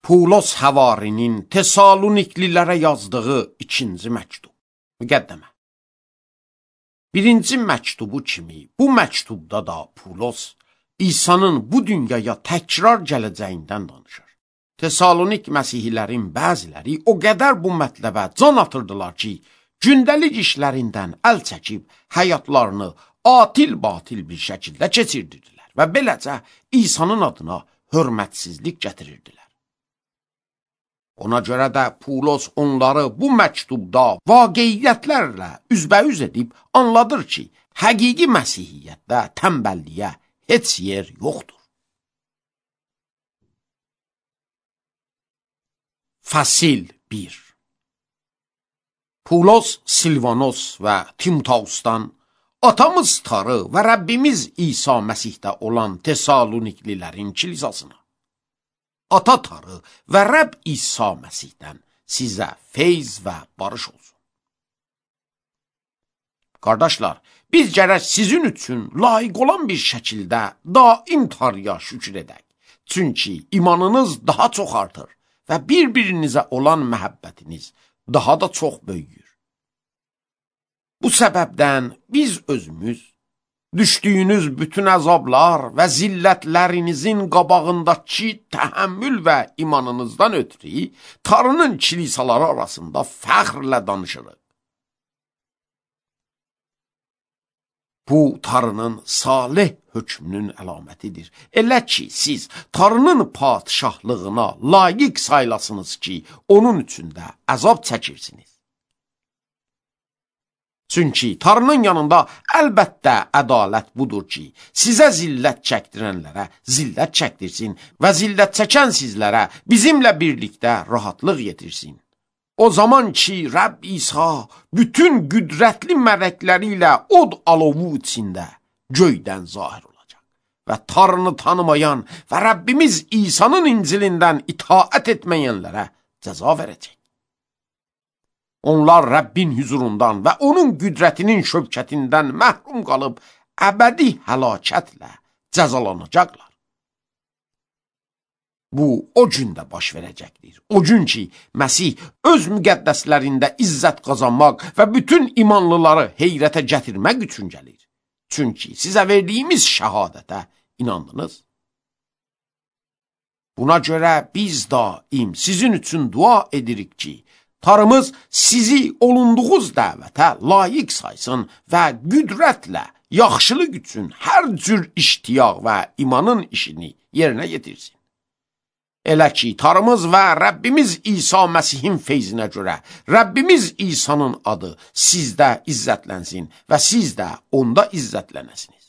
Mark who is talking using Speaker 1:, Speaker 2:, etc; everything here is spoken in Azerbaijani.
Speaker 1: Pulos Həvarinin Tesaloniklilərə yazdığı 2-ci məktub. Müqəddəmə. 1-ci məktubu kimi bu məktubda da Pulos İsa'nın bu dünyaya təkrar gələcəyindən danışır. Tesalonik məsihlilərin bəziləri o qədər bu mətləbə can atırdılar ki, gündəlik işlərindən əl çəkib həyatlarını atil-batil bir şəkildə keçirdirdilər və beləcə İsa'nın adına hörmətsizlik gətirirdilər. Ona görə də Pulos onları bu məktubda vaqiiyyətlərlə üzbəüz edib anladır ki, həqiqi məsihiyyətdə tənbəlliyə heç yer yoxdur. Fəsil 1. Pulos, Silvanos və Timoteusdan atamız Tarı və Rəbbimiz İsa Məsihdə olan Tesaloniklilərin kilisasına, Ata Tarı və Rəbb İsa Məsihdən sizə feyz və barış olsun. Qardaşlar, biz gərək sizin üçün layiq olan bir şəkildə daim Tarıya şükür edək. Çünki imanınız daha çox artır və bir-birinizə olan məhəbbətiniz daha da çox böyüyür. Bu səbəbdən biz özümüz düşdüyünüz bütün əzablar və zillətlərinizin qabağındakı təhəmmül və imanınızdan ötürü Tarının kilisaları arasında fəxrlə danışırıq. Bu Tarının salih hökmünün əlamətidir. Elə ki, siz Tarının padişahlığına layiq saylasınız ki, onun üçün də əzab çəkirsiniz. Çünki Tarının yanında əlbəttə ədalət budur ki, sizə zillət çəkdirənlərə zillət çəkdirsin və zillət çəkən sizlərə bizimlə birlikdə rahatlıq yetirsin. O zaman ki, Rəbb İsa bütün qüdrətli mələkləri ilə od alovu içində göydən zahir olacaq və Tarını tanımayan və Rəbbimiz İsa'nın İncilindən itaət etməyənlərə cəza verəcək. Onlar Rəbbin hüzurundan və onun qüdrətinin şövkətindən məhrum qalıb əbədi həlakətlə cəzalanacaqlar. Bu, o gündə baş verəcəkdir. O gün ki, Məsih öz müqəddəslərində izzət qazanmaq və bütün imanlıları heyrətə gətirmək üçün gəlir. Çünki sizə verdiyimiz şəhadətə inandınız. Buna görə biz daim sizin üçün dua edirik ki, Tarımız sizi olunduğunuz dəvətə layiq saysın və qüdrətlə yaxşılıq üçün hər cür iştiyaq və imanın işini yerinə yetirsin. Elə ki, Tarımız və Rəbbimiz İsa Məsihin feyzinə görə Rəbbimiz İsa'nın adı sizdə izzətlənsin və siz də onda izzətlənəsiniz.